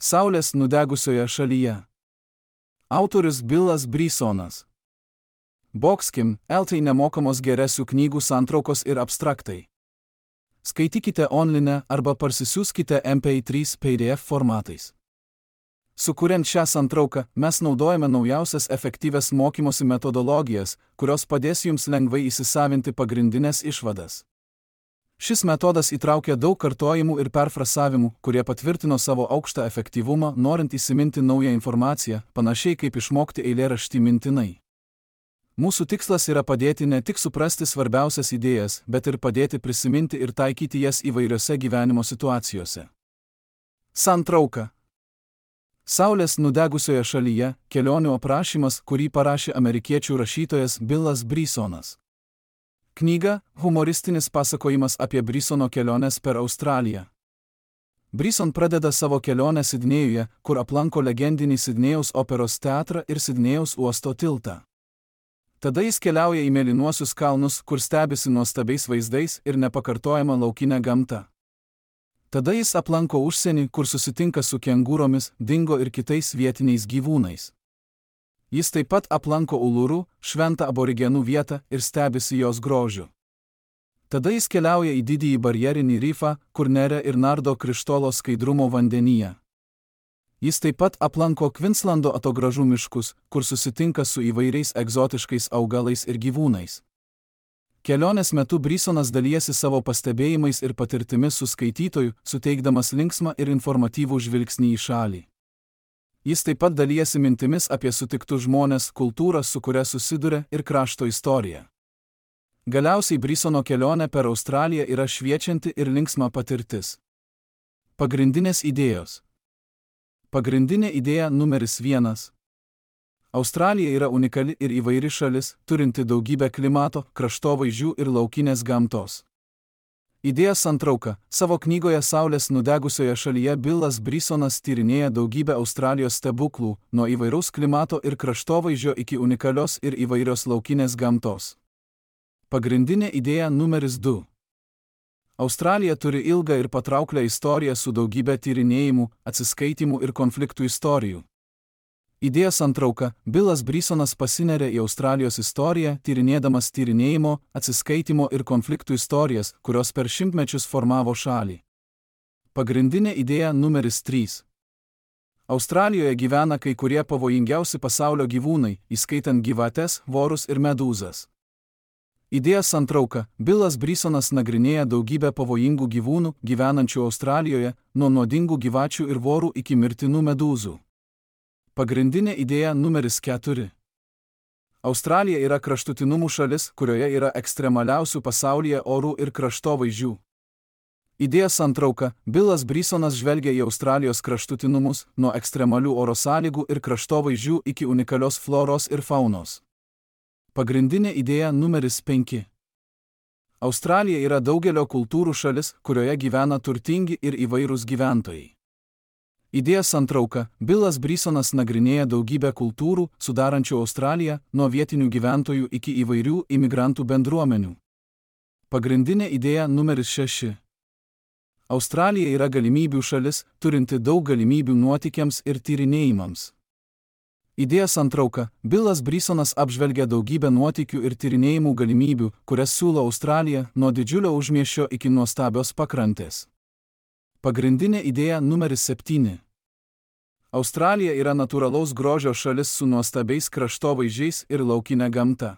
Saulės nudegusioje šalyje. Autorius Billas Brysonas. Boxkim, LT nemokamos geresių knygų santraukos ir abstraktai. Skaitykite online arba parsisiųskite MP3 PDF formatais. Sukuriant šią santrauką, mes naudojame naujausias efektyvias mokymosi metodologijas, kurios padės jums lengvai įsisavinti pagrindinės išvadas. Šis metodas įtraukia daug kartojimų ir perfrasavimų, kurie patvirtino savo aukštą efektyvumą, norint įsiminti naują informaciją, panašiai kaip išmokti eilėraštį mintinai. Mūsų tikslas yra padėti ne tik suprasti svarbiausias idėjas, bet ir padėti prisiminti ir taikyti jas įvairiose gyvenimo situacijose. Santrauka. Saulės nudegusioje šalyje – kelionių aprašymas, kurį parašė amerikiečių rašytojas Billas Brysonas. Knyga – humoristinis pasakojimas apie Brysono keliones per Australiją. Bryson pradeda savo kelionę Sidnėjuje, kur aplanko legendinį Sidnėjaus operos teatrą ir Sidnėjaus uosto tiltą. Tada jis keliauja į mėlynuosius kalnus, kur stebisi nuostabiais vaizdais ir nepakartojama laukinė gamta. Tada jis aplanko užsienį, kur susitinka su kengūromis, dingo ir kitais vietiniais gyvūnais. Jis taip pat aplanko Uluru, šventą aborigenų vietą, ir stebisi jos grožiu. Tada jis keliauja į didįjį barjerinį rifą, kur neria ir nardo krištolo skaidrumo vandenyje. Jis taip pat aplanko Kvinslando atogražų miškus, kur susitinka su įvairiais egzotiškais augalais ir gyvūnais. Kelionės metu Brysonas dalijasi savo pastebėjimais ir patirtimis su skaitytoju, suteikdamas linksmą ir informatyvų žvilgsnį į šalį. Jis taip pat dalijasi mintimis apie sutiktus žmones, kultūrą, su kuria susiduria, ir krašto istoriją. Galiausiai Brysono kelionė per Australiją yra šviečianti ir linksma patirtis. Pagrindinės idėjos. Pagrindinė idėja numeris 1. Australija yra unikali ir įvairi šalis, turinti daugybę klimato, kraštovaizdžių ir laukinės gamtos. Idėja santrauka. Savo knygoje Saulės nudegusioje šalyje Billas Brysonas tyrinėja daugybę Australijos stebuklų, nuo įvairaus klimato ir kraštovaizdžio iki unikalios ir įvairios laukinės gamtos. Pagrindinė idėja numeris 2. Australija turi ilgą ir patrauklią istoriją su daugybė tyrinėjimų, atsiskaitimų ir konfliktų istorijų. Idėja santrauka. Billas Brysonas pasineria į Australijos istoriją, tyrinėdamas tyrinėjimo, atsiskaitimo ir konfliktų istorijas, kurios per šimtmečius formavo šalį. Pagrindinė idėja numeris 3. Australijoje gyvena kai kurie pavojingiausi pasaulio gyvūnai, įskaitant gyvates, vorus ir medūzas. Idėja santrauka. Billas Brysonas nagrinėja daugybę pavojingų gyvūnų, gyvenančių Australijoje, nuo nuodingų gyvačių ir vorų iki mirtinų medūzų. Pagrindinė idėja numeris 4. Australija yra kraštutinumų šalis, kurioje yra ekstremaliausių pasaulyje orų ir kraštovaizdžių. Idėja santrauka. Billas Brysonas žvelgia į Australijos kraštutinumus, nuo ekstremalių oro sąlygų ir kraštovaizdžių iki unikalios floros ir faunos. Pagrindinė idėja numeris 5. Australija yra daugelio kultūrų šalis, kurioje gyvena turtingi ir įvairūs gyventojai. Idėja santrauka. Billas Brysonas nagrinėja daugybę kultūrų, sudarančių Australiją, nuo vietinių gyventojų iki įvairių imigrantų bendruomenių. Pagrindinė idėja numeris 6. Australija yra galimybių šalis, turinti daug galimybių nuotykiams ir tyrinėjimams. Idėja santrauka. Billas Brysonas apžvelgia daugybę nuotykių ir tyrinėjimų galimybių, kurias siūlo Australija, nuo didžiulio užmiesčio iki nuostabios pakrantės. Pagrindinė idėja numeris 7. Australija yra natūralaus grožio šalis su nuostabiais kraštovaizdžiais ir laukinė gamta.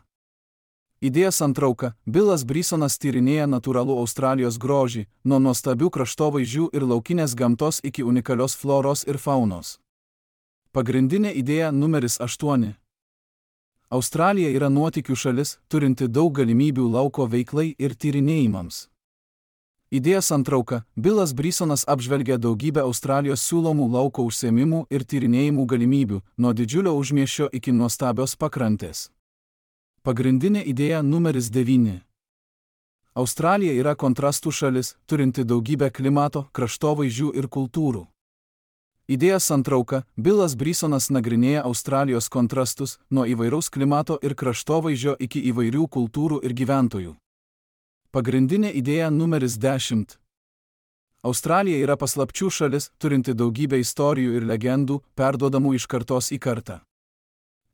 Idėja santrauka. Billas Brysonas tyrinėja natūralų Australijos grožį, nuo nuostabių kraštovaizdžių ir laukinės gamtos iki unikalios floros ir faunos. Pagrindinė idėja numeris 8. Australija yra nuotykių šalis, turinti daug galimybių lauko veiklai ir tyrinėjimams. Idėja santrauka. Billas Brysonas apžvelgia daugybę Australijos siūlomų lauko užsiėmimų ir tyrinėjimų galimybių, nuo didžiulio užmiesčio iki nuostabios pakrantės. Pagrindinė idėja numeris 9. Australija yra kontrastų šalis, turinti daugybę klimato, kraštovaizdžių ir kultūrų. Idėja santrauka. Billas Brysonas nagrinėja Australijos kontrastus, nuo įvairaus klimato ir kraštovaizdžio iki įvairių kultūrų ir gyventojų. Pagrindinė idėja numeris 10. Australija yra paslapčių šalis, turinti daugybę istorijų ir legendų, perduodamų iš kartos į kartą.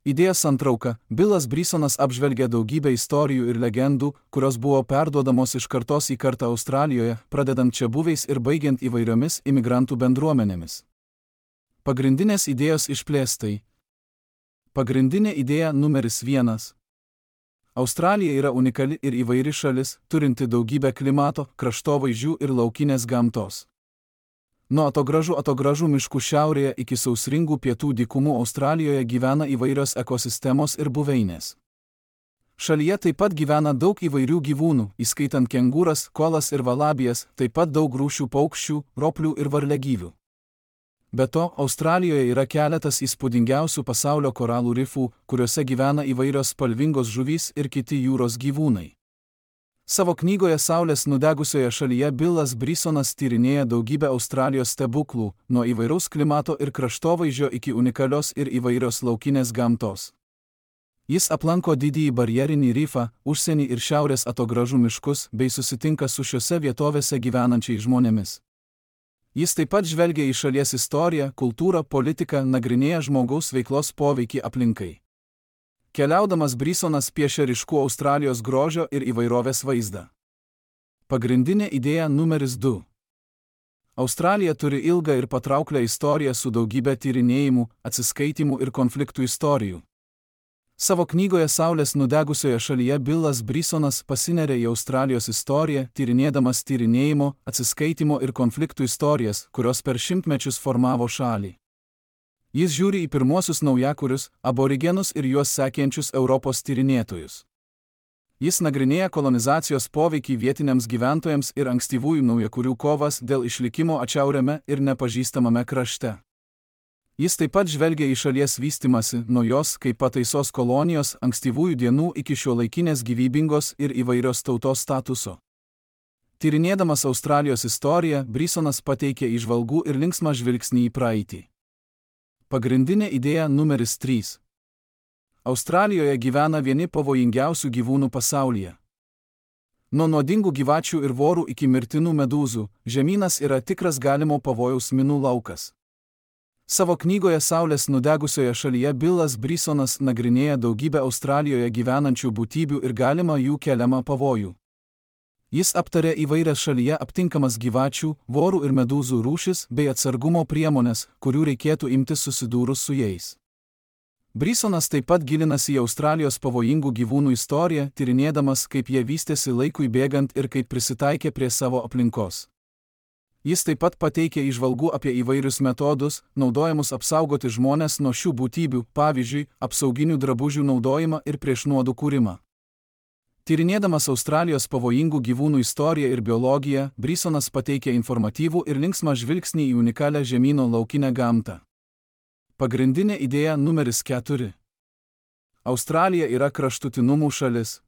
Idėjos santrauka. Bilas Brisonas apžvelgia daugybę istorijų ir legendų, kurios buvo perduodamos iš kartos į kartą Australijoje, pradedant čiabuviais ir baigiant įvairiomis imigrantų bendruomenėmis. Pagrindinės idėjos išplėstai. Pagrindinė idėja numeris 1. Australija yra unikali ir įvairi šalis, turinti daugybę klimato, kraštovaizdžių ir laukinės gamtos. Nuo atogražų miškų šiaurėje iki sausringų pietų dykumų Australijoje gyvena įvairios ekosistemos ir buveinės. Šalyje taip pat gyvena daug įvairių gyvūnų, įskaitant kengūras, koalas ir valabijas, taip pat daug rūšių paukščių, roplių ir varliagyvių. Be to, Australijoje yra keletas įspūdingiausių pasaulio koralų rifų, kuriuose gyvena įvairios spalvingos žuvys ir kiti jūros gyvūnai. Savo knygoje Saulės nudegusioje šalyje Bilas Brisonas tyrinėja daugybę Australijos stebuklų, nuo įvairaus klimato ir kraštovaizdžio iki unikalios ir įvairios laukinės gamtos. Jis aplanko didįjį barjerinį rifą, užsienį ir šiaurės atogražų miškus, bei susitinka su šiose vietovėse gyvenančiais žmonėmis. Jis taip pat žvelgia į šalies istoriją, kultūrą, politiką, nagrinėja žmogaus veiklos poveikį aplinkai. Keliaudamas Brisonas piešia ryškų Australijos grožio ir įvairovės vaizdą. Pagrindinė idėja numeris 2. Australija turi ilgą ir patrauklią istoriją su daugybė tyrinėjimų, atsiskaitimų ir konfliktų istorijų. Savo knygoje Saulės nudegusioje šalyje Bilas Brisonas pasineria į Australijos istoriją, tyrinėdamas tyrinėjimo, atsiskaitimo ir konfliktų istorijas, kurios per šimtmečius formavo šalį. Jis žiūri į pirmuosius naujakurius, aborigenus ir juos sekiančius Europos tyrinėtojus. Jis nagrinėja kolonizacijos poveikį vietiniams gyventojams ir ankstyvųjų naujakurių kovas dėl išlikimo atšiauriame ir nepažįstamame krašte. Jis taip pat žvelgia į šalies vystimąsi nuo jos kaip pataisos kolonijos ankstyvųjų dienų iki šiuolaikinės gyvybingos ir įvairios tautos statuso. Tyrinėdamas Australijos istoriją, Brisonas pateikia įžvalgų ir linksmą žvilgsnį į praeitį. Pagrindinė idėja numeris 3. Australijoje gyvena vieni pavojingiausių gyvūnų pasaulyje. Nuo nuodingų gyvačių ir vorų iki mirtinų medūzų, žemynas yra tikras galimo pavojaus minų laukas. Savo knygoje Saulės nudegusioje šalyje Bilas Brisonas nagrinėja daugybę Australijoje gyvenančių būtybių ir galimą jų keliamą pavojų. Jis aptarė įvairias šalyje aptinkamas gyvačių, vorų ir medūzų rūšis bei atsargumo priemonės, kurių reikėtų imtis susidūrus su jais. Brisonas taip pat gilinasi į Australijos pavojingų gyvūnų istoriją, tyrinėdamas, kaip jie vystėsi laikui bėgant ir kaip prisitaikė prie savo aplinkos. Jis taip pat pateikia įžvalgų apie įvairius metodus, naudojamus apsaugoti žmones nuo šių būtybių, pavyzdžiui, apsauginių drabužių naudojimą ir prieš nuodų kūrimą. Tyrinėdamas Australijos pavojingų gyvūnų istoriją ir biologiją, Brisonas pateikia informatyvų ir linksmą žvilgsnį į unikalią žemyno laukinę gamtą. Pagrindinė idėja numeris 4. Australija yra kraštutinumų šalis.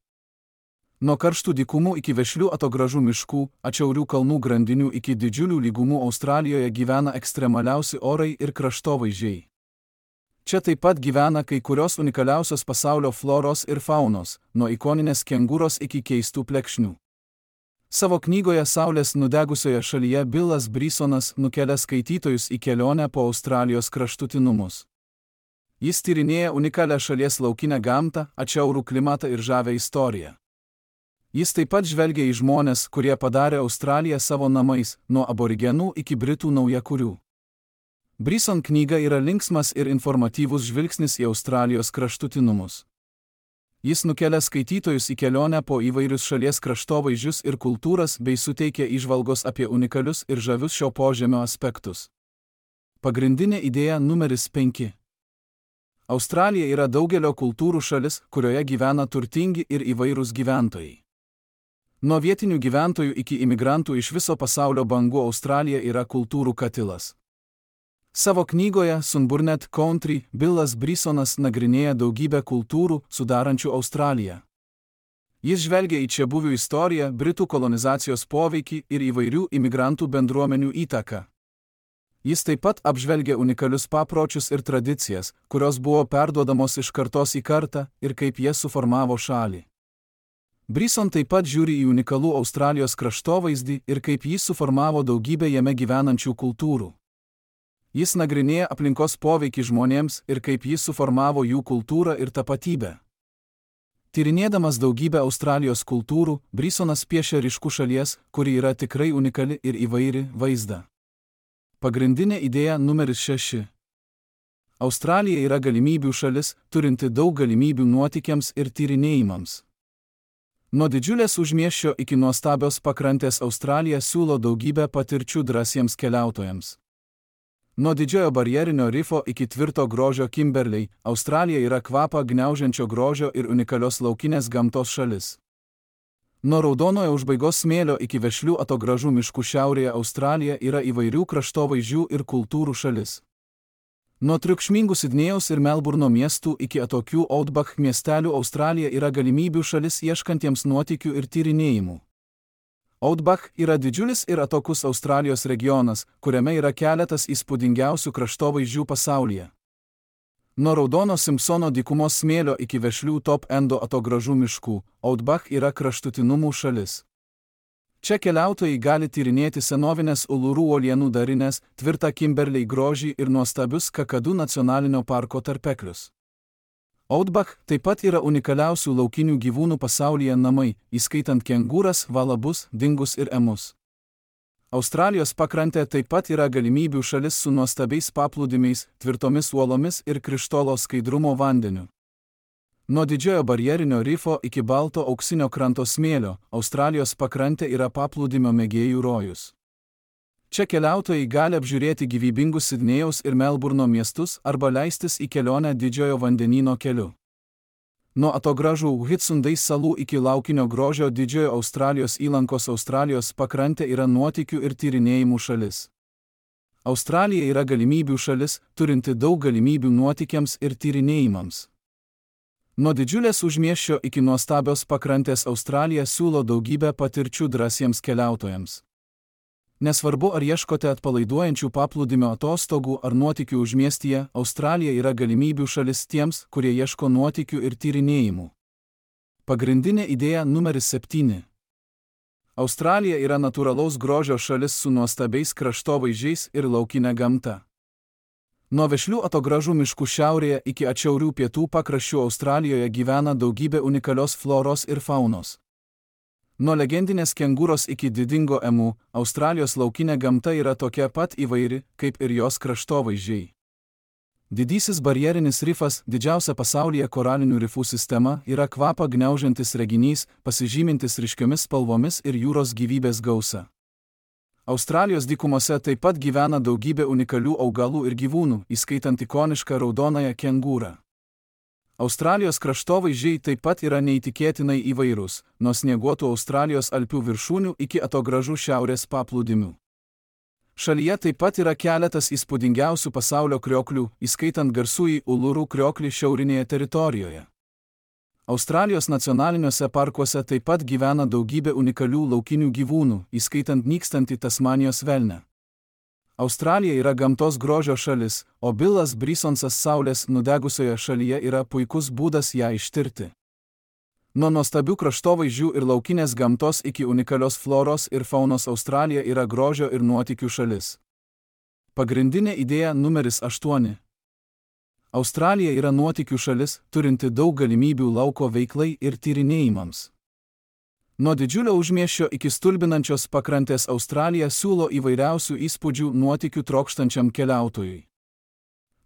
Nuo karštų dykumų iki vešlių atogražų miškų, atšiaurių kalnų grandinių iki didžiulių lygumų Australijoje gyvena ekstremaliausi orai ir kraštovaizdžiai. Čia taip pat gyvena kai kurios unikaliausios pasaulio floros ir faunos, nuo ikoninės kengūros iki keistų plekšnių. Savo knygoje Saulės nudegusioje šalyje Bilas Brisonas nukelia skaitytojus į kelionę po Australijos kraštutinumus. Jis tyrinėja unikalią šalies laukinę gamtą, atšiaurų klimatą ir žavią istoriją. Jis taip pat žvelgia į žmones, kurie padarė Australiją savo namais, nuo aborigenų iki britų naujakurių. Brison knyga yra linksmas ir informatyvus žvilgsnis į Australijos kraštutinumus. Jis nukelia skaitytojus į kelionę po įvairius šalies kraštovaizdžius ir kultūras bei suteikia įžvalgos apie unikalius ir žavius šio požemio aspektus. Pagrindinė idėja numeris 5. Australija yra daugelio kultūrų šalis, kurioje gyvena turtingi ir įvairūs gyventojai. Nuo vietinių gyventojų iki imigrantų iš viso pasaulio bangų Australija yra kultūrų katilas. Savo knygoje Sunburnet Country Bilas Brisonas nagrinėja daugybę kultūrų, sudarančių Australiją. Jis žvelgia į čiabuvių istoriją, britų kolonizacijos poveikį ir įvairių imigrantų bendruomenių įtaką. Jis taip pat apžvelgia unikalius papročius ir tradicijas, kurios buvo perduodamos iš kartos į kartą ir kaip jie suformavo šalį. Bryson taip pat žiūri į unikalų Australijos kraštovaizdį ir kaip jis suformavo daugybę jame gyvenančių kultūrų. Jis nagrinėja aplinkos poveikį žmonėms ir kaip jis suformavo jų kultūrą ir tapatybę. Tyrinėdamas daugybę Australijos kultūrų, Brysonas piešia ryškų šalies, kuri yra tikrai unikali ir įvairi, vaizdą. Pagrindinė idėja numeris 6. Australija yra galimybių šalis, turinti daug galimybių nuotykiams ir tyrinėjimams. Nuo didžiulės užmiesčio iki nuostabios pakrantės Australija siūlo daugybę patirčių drąsiems keliautojams. Nuo didžiojo barjerinio rifo iki tvirto grožio Kimberley, Australija yra kvapą gniaužiančio grožio ir unikalios laukinės gamtos šalis. Nuo raudonojo užbaigos smėlio iki vešlių atogražų miškų šiaurėje Australija yra įvairių kraštovaizdžių ir kultūrų šalis. Nuo triukšmingų Sidnėjaus ir Melburno miestų iki atokių Outback miestelių Australija yra galimybių šalis ieškantiems nuotykių ir tyrinėjimų. Outback yra didžiulis ir atokus Australijos regionas, kuriame yra keletas įspūdingiausių kraštovaizdžių pasaulyje. Nuo raudono Simpsono dykumos smėlio iki vešlių Top Endo atogražų miškų, Outback yra kraštutinumų šalis. Čia keliautojai gali tyrinėti senovinės Uluru uolienų darinės, tvirtą Kimberley grožį ir nuostabius Kakadu nacionalinio parko tarpeklius. Outback taip pat yra unikaliausių laukinių gyvūnų pasaulyje namai, įskaitant kengūras, valabus, dingus ir emus. Australijos pakrantė taip pat yra galimybių šalis su nuostabiais paplūdimiais, tvirtomis uolomis ir krištolo skaidrumo vandeniu. Nuo didžiojo barjerinio rifo iki balto auksinio kranto smėlio, Australijos pakrantė yra paplūdimio mėgėjų rojus. Čia keliautojai gali apžiūrėti gyvybingus Sidnėjaus ir Melburno miestus arba leistis į kelionę didžiojo vandenyno keliu. Nuo atogražų Whitsundays salų iki laukinio grožio didžiojo Australijos įlankos Australijos pakrantė yra nuotykių ir tyrinėjimų šalis. Australija yra galimybių šalis, turinti daug galimybių nuotykiams ir tyrinėjimams. Nuo didžiulės užmiesčio iki nuostabios pakrantės Australija siūlo daugybę patirčių drąsiems keliautojams. Nesvarbu, ar ieškote atpalaiduojančių paplūdimio atostogų ar nuotykių užmiestyje, Australija yra galimybių šalis tiems, kurie ieško nuotykių ir tyrinėjimų. Pagrindinė idėja numeris 7. Australija yra natūralaus grožio šalis su nuostabiais kraštovaizdžiais ir laukinė gamta. Nuo vešlių atogražų miškų šiaurėje iki atšiaurių pietų pakraščių Australijoje gyvena daugybė unikalios floros ir faunos. Nuo legendinės kengūros iki didingo emų, Australijos laukinė gamta yra tokia pat įvairi, kaip ir jos kraštovaizdžiai. Didysis barjerinis rifas, didžiausia pasaulyje koralinių rifų sistema, yra kvapą gniaužiantis reginys, pasižymintis ryškiomis spalvomis ir jūros gyvybės gausa. Australijos dykumose taip pat gyvena daugybė unikalių augalų ir gyvūnų, įskaitant ikonišką raudonąją kengūrą. Australijos kraštovaizdžiai taip pat yra neįtikėtinai įvairūs, nuo snieguotų Australijos alpių viršūnių iki atogražų šiaurės paplūdimių. Šalyje taip pat yra keletas įspūdingiausių pasaulio krioklių, įskaitant garsųjį Uluru krioklį šiaurinėje teritorijoje. Australijos nacionaliniuose parkuose taip pat gyvena daugybė unikalių laukinių gyvūnų, įskaitant nykstantį Tasmanijos velnę. Australija yra gamtos grožio šalis, o Billas Brysonsas saulės nudegusioje šalyje yra puikus būdas ją ištirti. Nuo nuostabių kraštovaizdžių ir laukinės gamtos iki unikalios floros ir faunos Australija yra grožio ir nuotykių šalis. Pagrindinė idėja numeris 8. Australija yra nuotykių šalis, turinti daug galimybių lauko veiklai ir tyrinėjimams. Nuo didžiulio užmiesčio iki stulbinančios pakrantės Australija siūlo įvairiausių įspūdžių nuotykių trokštančiam keliautojui.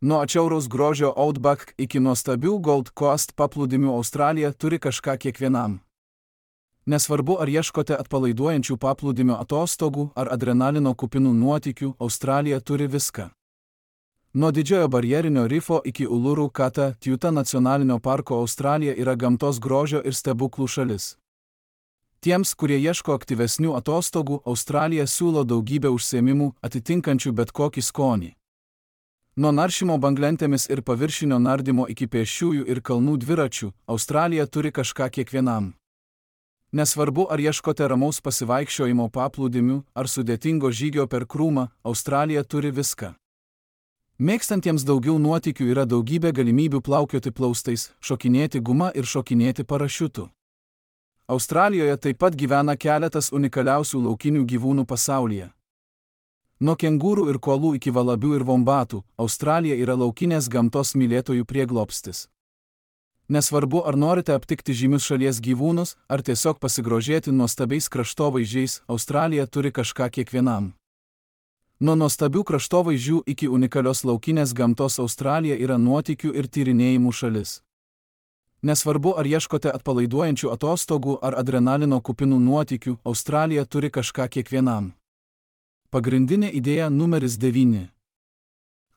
Nuo atšiauraus grožio Outback iki nuostabių Gold Coast paplūdimių Australija turi kažką kiekvienam. Nesvarbu, ar ieškote atpalaiduojančių paplūdimio atostogų ar adrenalino kupinų nuotykių, Australija turi viską. Nuo didžiojo barjerinio rifo iki Uluru Kata Tjuta nacionalinio parko Australija yra gamtos grožio ir stebuklų šalis. Tiems, kurie ieško aktyvesnių atostogų, Australija siūlo daugybę užsiėmimų, atitinkančių bet kokį skonį. Nuo naršymo banglentėmis ir paviršinio nardymo iki pėsčiųjų ir kalnų dviračių, Australija turi kažką kiekvienam. Nesvarbu, ar ieškote ramaus pasivaikščiojimo paplūdimių, ar sudėtingo žygio per krūmą, Australija turi viską. Mėgstantiems daugiau nuotykių yra daugybė galimybių plaukioti plaustais, šokinėti guma ir šokinėti parašiutu. Australijoje taip pat gyvena keletas unikaliausių laukinių gyvūnų pasaulyje. Nuo kengūrų ir kuolų iki valabių ir vombatų, Australija yra laukinės gamtos mylėtojų prieglobstis. Nesvarbu, ar norite aptikti žymius šalies gyvūnus, ar tiesiog pasigrožėti nuostabiais kraštovaizdžiais, Australija turi kažką kiekvienam. Nuo nuostabių kraštovaizdžių iki unikalios laukinės gamtos Australija yra nuotykių ir tyrinėjimų šalis. Nesvarbu, ar ieškote atpalaiduojančių atostogų ar adrenalino kupinų nuotykių, Australija turi kažką kiekvienam. Pagrindinė idėja numeris 9.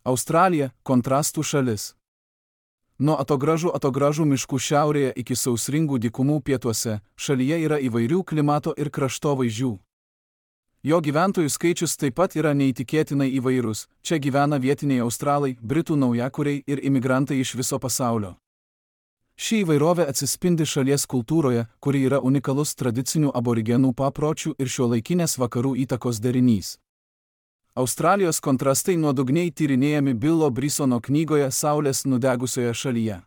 Australija – kontrastų šalis. Nuo atogražų miškų šiaurėje iki sausringų dykumų pietuose, šalyje yra įvairių klimato ir kraštovaizdžių. Jo gyventojų skaičius taip pat yra neįtikėtinai įvairus, čia gyvena vietiniai australai, britų naujakuriai ir imigrantai iš viso pasaulio. Ši įvairovė atsispindi šalies kultūroje, kuri yra unikalus tradicinių aborigenų papročių ir šiuolaikinės vakarų įtakos derinys. Australijos kontrastai nuodugniai tyrinėjami Billo Brisono knygoje Saulės nudegusioje šalyje.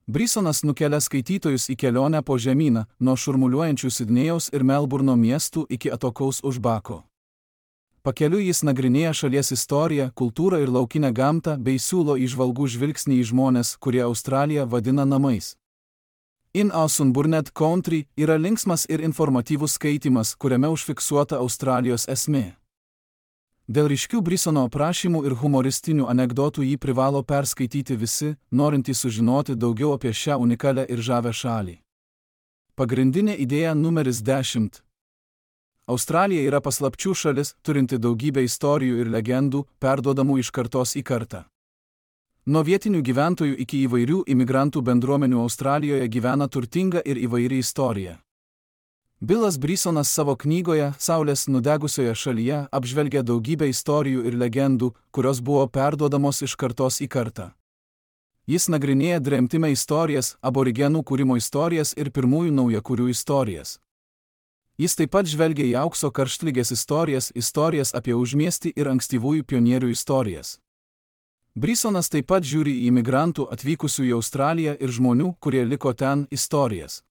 Brisonas nukelia skaitytojus į kelionę po žemyną, nuo šurmuliuojančių Sidnėjaus ir Melburno miestų iki atokaus už Bako. Pakeliui jis nagrinėja šalies istoriją, kultūrą ir laukinę gamtą bei siūlo įžvalgų žvilgsnį į žmones, kurie Australiją vadina namais. In Ausunburnet Country yra linksmas ir informatyvus skaitymas, kuriame užfiksuota Australijos esmė. Dėl ryškių Brisono aprašymų ir humoristinių anekdotų jį privalo perskaityti visi, norintys sužinoti daugiau apie šią unikalią ir žavią šalį. Pagrindinė idėja numeris 10. Australija yra paslapčių šalis, turinti daugybę istorijų ir legendų, perduodamų iš kartos į kartą. Nuo vietinių gyventojų iki įvairių imigrantų bendruomenių Australijoje gyvena turtinga ir įvairi istorija. Billas Brisonas savo knygoje Saulės nudegusioje šalyje apžvelgia daugybę istorijų ir legendų, kurios buvo perduodamos iš kartos į kartą. Jis nagrinėja dremtime istorijas, aborigenų kūrimo istorijas ir pirmųjų naujakurių istorijas. Jis taip pat žvelgia į aukso karštlygės istorijas apie užmiestį ir ankstyvųjų pionierių istorijas. Brisonas taip pat žiūri į imigrantų atvykusių į Australiją ir žmonių, kurie liko ten, istorijas.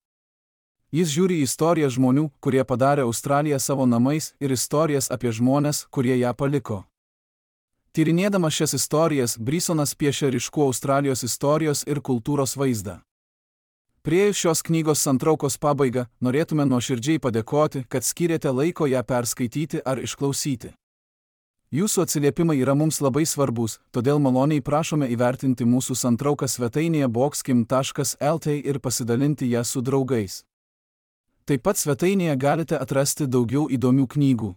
Jis žiūri į istorijas žmonių, kurie padarė Australiją savo namais, ir istorijas apie žmones, kurie ją paliko. Tyrinėdamas šias istorijas, Brisonas piešia ryškų Australijos istorijos ir kultūros vaizdą. Priėjus šios knygos santraukos pabaigą, norėtume nuoširdžiai padėkoti, kad skyrėte laiko ją perskaityti ar išklausyti. Jūsų atsiliepimai yra mums labai svarbus, todėl maloniai prašome įvertinti mūsų santrauką svetainėje boxkim.lt ir pasidalinti ją su draugais. Taip pat svetainėje galite atrasti daugiau įdomių knygų.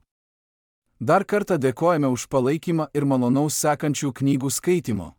Dar kartą dėkojame už palaikymą ir malonaus sekančių knygų skaitymo.